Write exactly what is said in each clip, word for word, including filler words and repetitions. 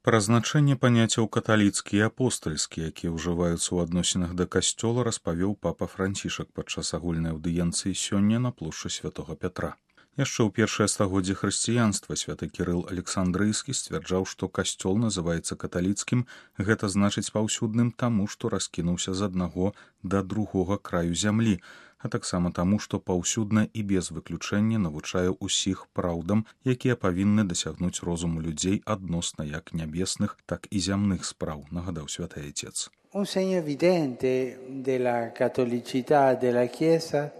Пра значэнне паняццяў каталіцкі і апостальскі, якія ўжываюцца ў адносінах да касцёла, распавёў папа Францішак падчас агульнай аўдыенцыі сёння на плошчы святога Пятра. Яшчэ ў першае стагоддзе хрысціянства святы Кірыл Александрыйскі сцвярджаў, што касцёл называецца каталіцкім, гэта значыць паўсюдным таму, што раскінуўся з аднаго да другога краю зямлі, а таксама таму, што паўсюдна і без выключэння навучае ўсіх праўдам, якія павінны дасягнуць розуму людзей адносна як нябесных, так і зямных спраў, нагадаў святы Отец. Un segno evidente della cattolicità della Chiesa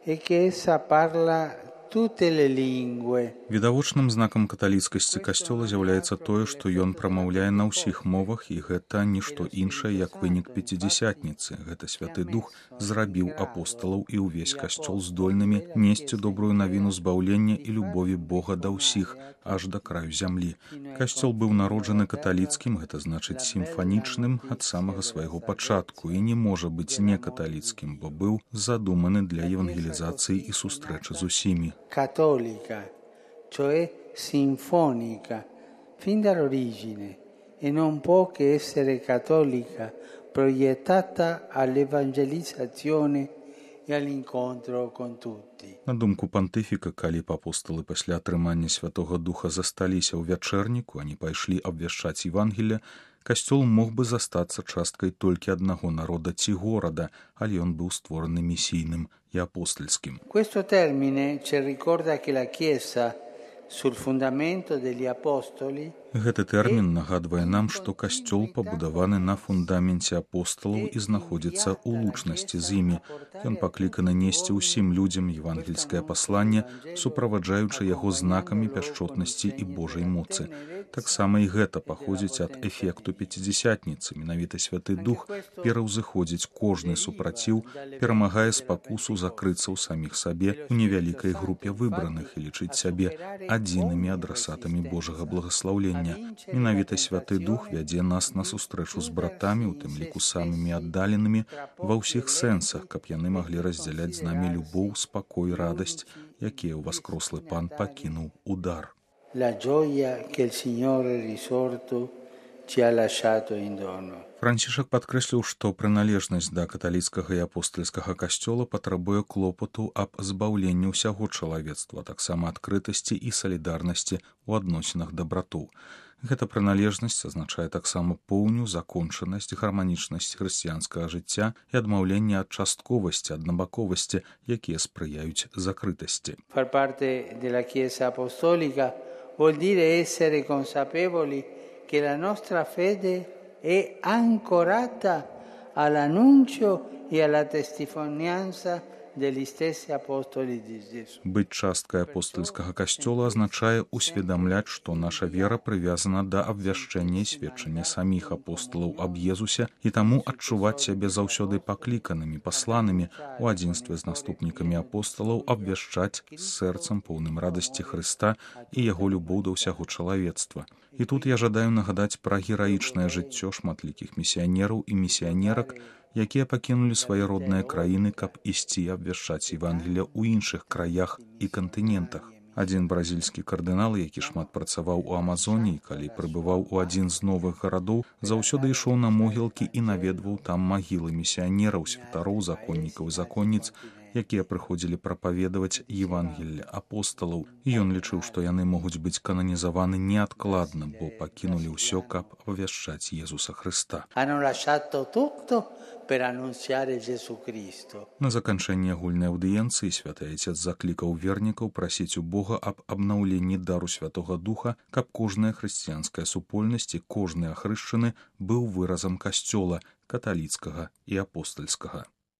è che essa parla tutte le lingue. Відавочным знакам каталіцкасці касцёла з'яўляецца тое, што ён прамаўляе на ўсіх мовах, і гэта нішто іншае, як вынік пяцідзясятніцы. Гэта святы дух зрабіў апосталаў і ўвесь касцёл здольнымі несці добрую навіну збаўлення і любові Бога да ўсіх, аж да краю зямлі. Касцёл быў народжаны каталіцкім, гэта значыць сімфанічным ад самага свайго пачатку і не можа быць не каталіцкім, бо быў задуманы для евангелізацыі і сустрэчы з усімі. Cattolica, cioè sinfonica, fin dall'origine, e non può che essere cattolica, proiettata all'evangelizzazione e all'incontro con tutti. На думку пантыфіка, калі б апосталы пасля атрымання Святога Духа засталіся ў вячэрніку, а не пайшлі абвяшчаць Евангелле, касцёл мог бы застацца часткай толькі аднаго народа ці горада, але ён быў створаны месійным і апостальскім. Questo termine ci ricorda che la Chiesa sul fondamento degli apostoli. Гэты тэрмін нагадвае нам, што касцёл пабудаваны на фундаменце апосталаў і знаходзіцца ў лучнасці з імі. Ён пакліканы несці ўсім людзям евангельскае пасланне, суправаджаючы яго знакамі пяшчотнасці і Божай моцы. Таксама і гэта паходзіць ад эфекту пяцідзясятніцы. Менавіта Святы Дух пераўзыходзіць кожны супраціў, перамагае спакусу закрыцца ў саміх сабе ў невялікай групе выбраных і лічыць сябе адзінымі адрасатамі Божага благаслаўлення. Менавіта Святы Дух вядзе нас на сустрэчу з братамі, у тым ліку самымі аддаленымі, ва ўсіх сэнсах, каб яны маглі раздзяляць з намі любоў, спакой, радасць, якія ўваскрослы Пан пакінуў у дар. La gioia che il Signore risorto ci ha lasciato in dono. Францішак падкрэсліў, што прыналежнасць да каталіцкага і апостальскага касцёла патрабуе клопату аб збаўленні ўсяго чалавецтва, таксама адкрытасці і салідарнасці ў адносінах да братоў. Гэта прыналежнасць азначае таксама поўню, закончанасць, гарманічнасць хрысціянскага жыцця і адмаўленне ад частковасці, аднабаковасці, якія спрыяюць закрытасці. Far parte della Chiesa apostolica vuol dire essere consapevoli che la nostra fede è ancorata all'annuncio e alla testimonianza degli stessi apostoli di Gesù. Быць часткай апостальскага касцёла азначае усведамляць, што наша вера прывязана да абвяшчэння і сведчання саміх апосталаў аб Езусе і таму адчуваць сябе заўсёды пакліканымі, пасланымі у адзінстве з наступнікамі апосталаў абвяшчаць з сэрцам поўным радасці Хрыста і яго любоў да ўсяго чалавецтва. І тут я жадаю нагадаць пра гераічнае жыццё шматлікіх місіянераў і місіянерак, якія пакінулі свае родныя краіны, каб ісці абвяшчаць Евангелле ў іншых краях і кантынентах. Адзін бразільскі кардынал, які шмат працаваў у Амазоніі, калі прыбываў у адзін з новых гарадоў, заўсёды ішоў на могілкі і наведваў там магілы місіянераў, святароў, законнікаў і законніц, якія прыходзілі прапаведаваць Евангелле апосталаў. І ён лічыў, што яны могуць быць кананізаваны неадкладна, бо пакінулі ўсё, каб абвяшчаць Езуса Хрыста. На заканчэнне агульнай аўдыенцыі святы Отец заклікаў вернікаў прасіць у Бога аб абнаўленні дару Святога Духа, каб кожная хрысціянская супольнасць і кожны ахрышчаны быў выразам касцёла, каталіцкага і апостальскага.